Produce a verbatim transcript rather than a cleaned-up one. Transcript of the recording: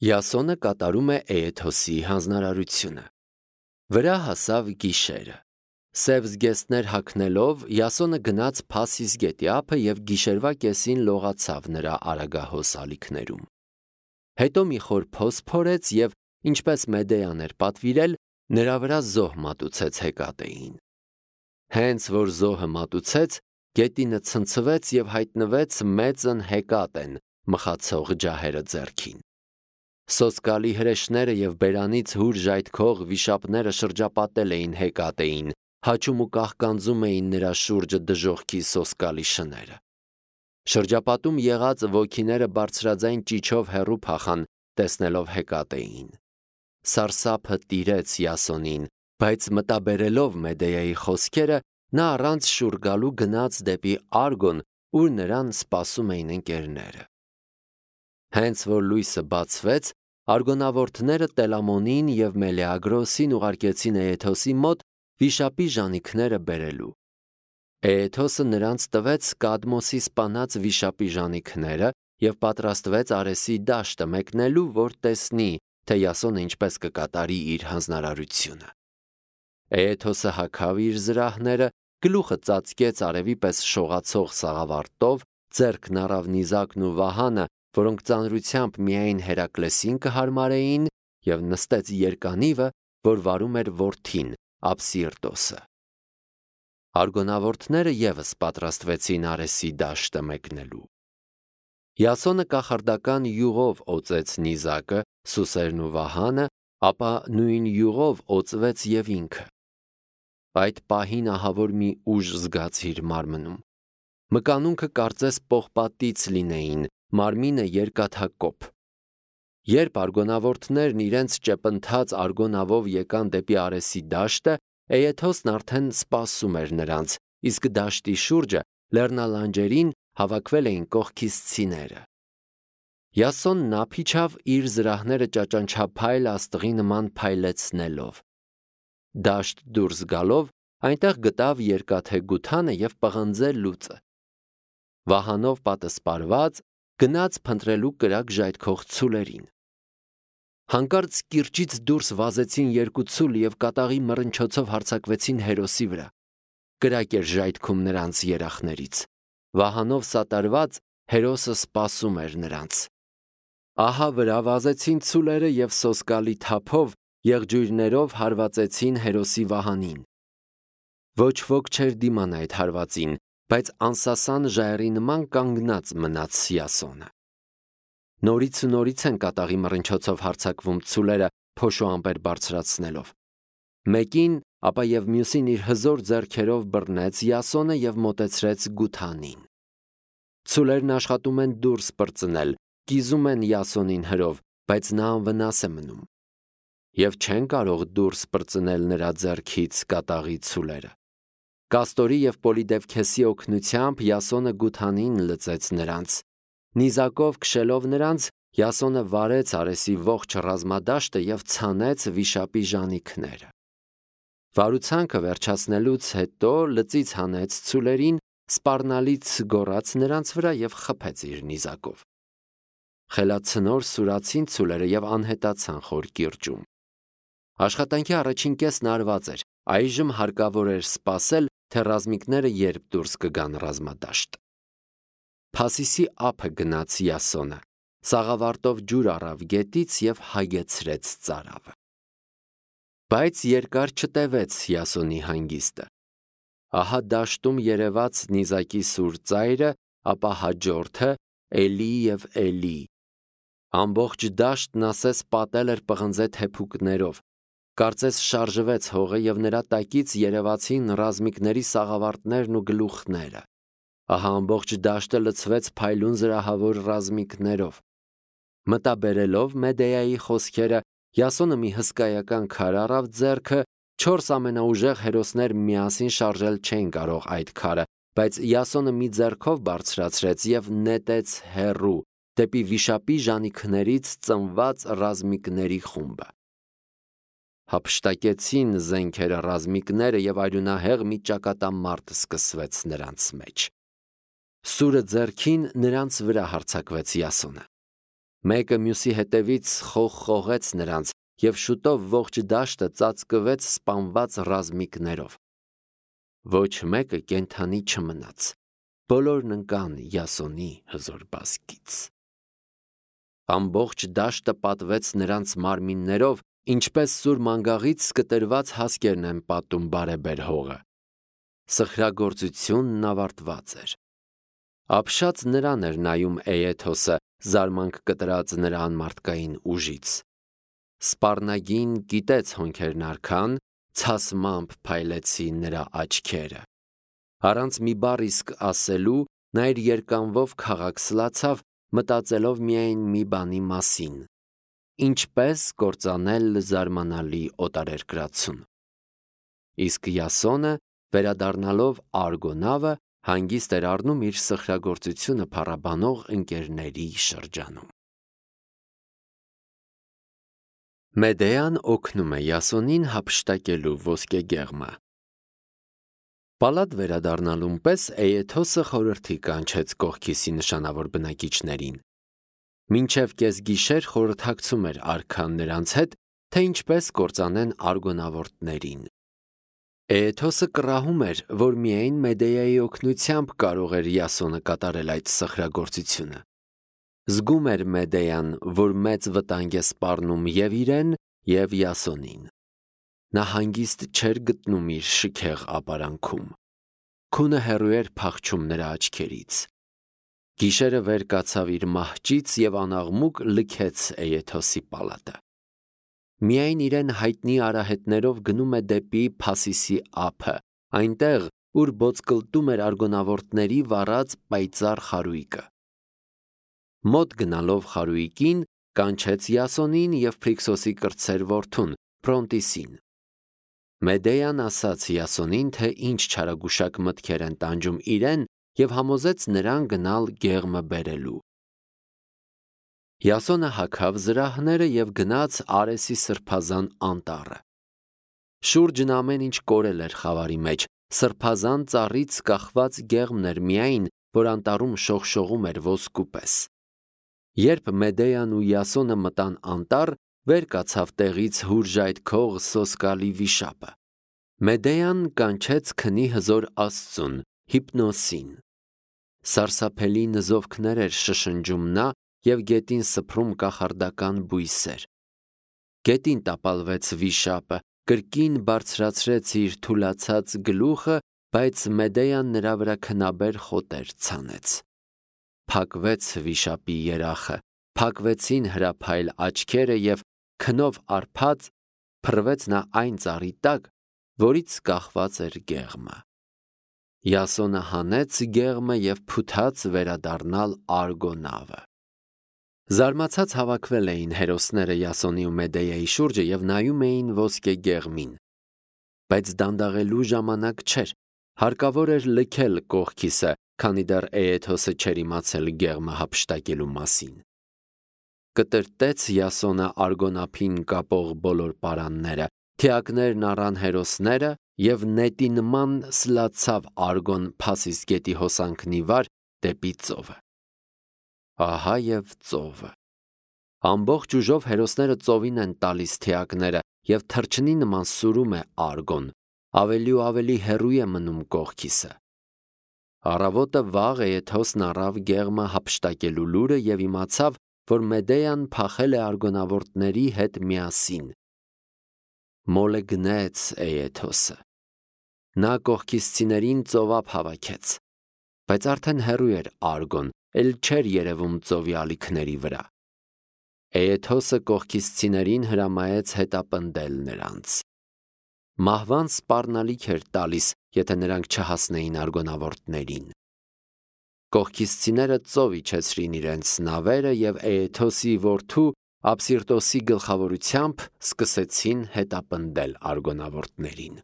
Յասոնը կատարում է Էեթոսի հանձնարարությունը։ Վրա հասավ գիշերը։ Սև զգեստներ հագնելով Յասոնը գնաց Փասիս գետի ափը և գիշերվա կեսին լողացավ նրա արագահոս ալիքներում։ Հետո մի խոր փոս փորեց և, ինչպես Մեդեյան էր պատվիրել, նրա վրա զոհ մատուցեց Հեկատեին։ Հենց որ զոհը մատուցեց, գետինը ցնցվեց և հայտնվեց մեծն Հեկատեն մխացող ջահերը ձեռքին։ Սոսկալի հրեշները և բերանից հուր ժայթքող վիշապները շրջապատել էին Հեկատեին, հաչում ու կաղկանձում էին նրա շուրջը դժոխքի սոսկալի շները։ Շրջապատում եղած ոգիները բարձրաձայն ճիչով հեռու փախան, տեսնելով Հեկատեին։ Սարսափը տիրեց Յասոնին, բայց մտաբերելով Մեդեայի խոսքերը, նա առանց շուռ գալու գնաց դեպի Արգոն, ուր նրան սպասում էին ընկերները։ Հենց որ լույսը բացվեց, արգոնավորտները Տելամոնին և Մելեագրոսին ուղարկեցին Էեթոսի մոտ վիշապի ժանիքները բերելու։ Էեթոսը նրանց տվեց Կադմոսի սպանած վիշապի ժանիքները և պատրաստվեց Արեսի դաշտը մեկնելու, որ տեսնի, թե Յասոնը ինչպես կկատարի իր հանձնարարությունը։ Էեթոսը հագավ իր զրահները, գլուխը ծածկեց արևի պես շողացող սաղավարտով, ձեռքն առավ նիզակն ու վահանը, որոնք ծանրությամբ միայն Հերակլեսին կհարմարեին, և նստեց երկանիվը, որ վարում էր որդին Ափսիրտոսը։ Արգոնավորտները ևս պատրաստվեցին Արեսի դաշտը մեկնելու։ Յասոնը կախարդական յուղով օծեց նիզակը, սուսերն ու վահանը, ապա նույն յուղով օծվեց և ինքը։ Այդ պահին ահավոր մի ուժ զգաց իր մարմնում։ Մկանունքը կարծես պողպատից լինեին, մարմինը երկաթակոփ։ Երբ արգոնավորտներն իրենց ճեպընթաց արգոնավով եկան դեպի Արեսի դաշտը, Էեթոսն արդեն սպասում էր նրանց, իսկ դաշտի շուրջը լեռնալանջերին հավաքվել էին կողքիսցիները։ Յասոնն ափիչավ իր զրահները ճաճանչափայլ աստղի նման փայլեցնելով։ Դաշտ դուրս գալով, այնտեղ գտավ երկաթե գութանը և պղնձե լուծը։ Վահանով պատսպարված գնաց փնտրելու կրակ ժայթքող ցուլերին։ Հանկարծ կիրճից դուրս վազեցին երկու ցուլ և կատաղի մռնչոցով հարձակվեցին Հերոսի վրա։ Կրակ էր ժայթքում նրանց երախներից։ Վահանով սատարված Հերոսը սպասում էր նրանց։ Ահա վրա վազեցին ցուլերը և սոսկալի թափով, եղջյուրներով հարվածեցին Հերոսի վահանին։ Ոչ ոք չէր դիմանա այդ հարվածին, բայց անսասան ժայռի նման կանգնած մնաց Յասոնը։ Նորից ու նորից են կատաղի մռնչոցով հարձակվում ցուլերը, փոշու ամպեր բարձրացնելով։ Մեկին, ապա և մյուսին իր հզոր ձեռքերով բռնեց Յասոնը և մոտեցրեց գութանին։ Ցուլերն աշխատում են դուրս պրծնել, կիզում են Յասոնին հրով, բայց նա անվնաս է մնում։ Եվ չեն կարող դուրս պրծնել նրա ձեռքից կատաղի ցուլերը։ Կաստորի և Պոլիդևքեսի օգնությամբ Յասոնը գութանին լծեց նրանց։ Նիզակով քշելով նրանց, Յասոնը վարեց Արեսի ողջ ռազմադաշտը և ցանեց վիշապի ժանիքները։ Վարուցանքը վերջացնելուց հետո լծից հանեց ցուլերին, սպառնալից գոռաց նրանց վրա և խփեց իր նիզակով։ Խելացնոր սուրացին ցուլերը և անհետացան խոր կիրճում։ Աշխատանքի առաջին կեսն արված էր, այժմ հարկավոր էր սպասել, թե ռազմիկները երբ դուրս կգան ռազմադաշտ։ Փասիսի ափը գնաց Յասոնը, սաղավարտով ջուր առավ գետից և հագեցրեց ծարավը։ Բայց երկար չտևեց Յասոնի հանգիստը։ Ահա դաշտում երևաց նիզակի սուր ծայրը, ապա հաջորդը՝ էլի և էլի։ Ամբողջ դաշտն ասես պատել էր պղնձե թեփուկներով։ Կարծես շարժվեց հողը և նրա տակից երևացին ռազմիկների սաղավարտներն ու գլուխները։ Ահա ամբողջ դաշտը լցվեց փայլուն զրահավոր ռազմիկներով։ Մտաբերելով Մեդեայի խոսքերը, Յասոնը մի հսկայական քար առավ ձեռքը, չորս ամենաուժեղ հերոսներ միասին շարժել չէին կարող այդ քարը, բայց Յասոնը մի ձեռքով բարձրացրեց և նետեց հեռու, դեպի վիշապի ժանիքներից ծնված ռազմիկների խումբը։ Հափշտակեցին զենքերը ռազմիկները և արյունահեղ մի ճակատամարտ սկսվեց նրանց մեջ։ Սուրը ձեռքին նրանց վրա հարձակվեց Յասոնը։ Մեկը մյուսի հետևից խողխողեց նրանց, և շուտով ողջ դաշտը ծածկվեց սպանված ռազմիկներով։ Ոչ մեկը կենդանի չմնաց, բոլորն ընկան Յասոնի հզոր բազկից։ Ամբողջ դաշտը պատվեց նրանց մարմիններով, ինչպես սուր մանգաղից սկտրված հասկերն են պատում բարեբեր հողը։ Սխրագործությունն ավարտված էր։ Ապշած նրան էր նայում Էեթոսը, զարմանք կտրած նրա անմարդկային ուժից։ Սպառնագին կիտեց հոնքերն արքան, ցասմամբ փայլեցին նրա աչքերը։ Առանց մի բառ իսկ ասելու, նա իր երկանվով քաղաքսլացավ, մտածելով միայն մի բանի մասին. ինչպես կործանել զարմանալի օտարերկրացուն։ Իսկ Յասոնը, վերադառնալով Արգոնավը, հանգիստ էր առնում իր սխրագործությունը փառաբանող ընկերների շրջանում։ Մեդեան օգնում է Յասոնին հափշտակելու ոսկեգեղմը։ Պալատ վերադառնալուն պես Էեթոսը խորհրդի կանչեց կողքիսի նշանավոր բնակիչներին։ Մինչև կեսգիշեր խորհրդակցում էր արքան նրանց հետ, թե ինչպես կործանեն արգոնավորտներին։ Էեթոսը կռահում էր, որ միայն Մեդեայի օգնությամբ կարող էր Յասոնը կատարել այդ սխրագործությունը։ Զգում էր Մեդեան, որ մեծ վտանգ է սպառնում և իրեն, և Յասոնին։ Նա հանգիստ չէր գտնում իր շքեղ ապարանքում։ Քունը հեռու էր փախչում նրա աչքերից։ Գիշերը վեր կացավ իր մահճից և անաղմուկ լքեց Էեթոսի պալատը։ Միայն իրեն հայտնի արահետներով գնում է դեպի Փասիսի ափը, այնտեղ, ուր բոցկլտում էր արգոնավորտների վառած պայծառ խարույկը։ Մոտ գնալով խարույկին, կանչեց Յասոնին և Փրիքսոսի կրտսեր որդուն, Փրոնտիսին։ Մեդեան ասաց Յասոնին, թե ինչ չարագուշակ մտքեր են տանջում իրեն, և համոզեց նրան գնալ գեղմը բերելու։ Յասոնը հագավ զրահները և գնաց Արեսի սրբազան անտառը։ Շուրջն ամեն ինչ կորել էր խավարի մեջ, սրբազան ծառից կախված գեղմն էր միայն, որ անտառում շողշողում էր ոսկու պես։ Երբ Մեդեան ու Յասոնը մտան անտառ, վեր կացավ տեղից հուրժայթ քող սոսկալի վիշապը։ Մեդեան կանչեց քնի հզոր աստծուն, Հիպնոսին։ Սարսափելի նզովքներ էր շշնջում նա և գետին սփռում կախարդական բույսեր։ Գետին տապալվեց վիշապը, կրկին բարձրացրեց իր թուլացած գլուխը, բայց Մեդեան նրա վրա քնաբեր խոտեր ցանեց։ Փակվեց վիշապի երախը, փակվեցին հրափայլ աչքերը և քնով արփած փռվեց նա այն ծառի տակ, որից կախված էր գեղմը։ Յասոնը հանեց գեղմը և փութաց վերադառնալ Արգոնավը։ Զարմացած հավաքվել էին հերոսները Յասոնի ու Մեդեայի շուրջը և նայում էին ոսկե գեղմին։ Բայց դանդաղելու ժամանակ չէր, հարկավոր էր լքել կողքիսը, քանի դեռ Էեթոսը չէր իմացել գեղմը հափշտակելու մասին։ Կտրտեց Յասոնը Արգոնափին կապող բոլոր պարանները, թիակներն առան հերոսները և նետի նման սլացավ Արգոն Փասիս գետի հոսանքն ի վար դեպի ծովը։ Ահա և ծովը։ Ամբողջ ուժով հերոսները ծովին են տալիս թիակները, և թռչնի նման սուրում է Արգոն, ավելի ու ավելի հեռու է մնում կողքիսը։ Առավոտը վաղ Էեթոսն առավ գեղմը հափշտակելու լուրը և իմացավ, որ Մեդեան փախել է արգոնավորտների հետ միասին։ Մոլը գնեց Էեթոսը։ Նա կողքիսցիներին ծովափ հավաքեց, բայց արդեն հեռու էր Արգոն, էլ չէր երևում ծովի ալիքների վրա։ Էեթոսը կողքիսցիներին հրամայեց հետապնդել նրանց։ Մահվան սպառնալիք էր տալիս, եթե նրանք չհասնեին արգոնավորտներին։ Կողքիսցիները ծով իջեցրին իրենց նավերը և Էեթոսի որդու Ափսիրտոսի գլխավորությամբ սկսեցին հետապնդել արգոնավորտներին։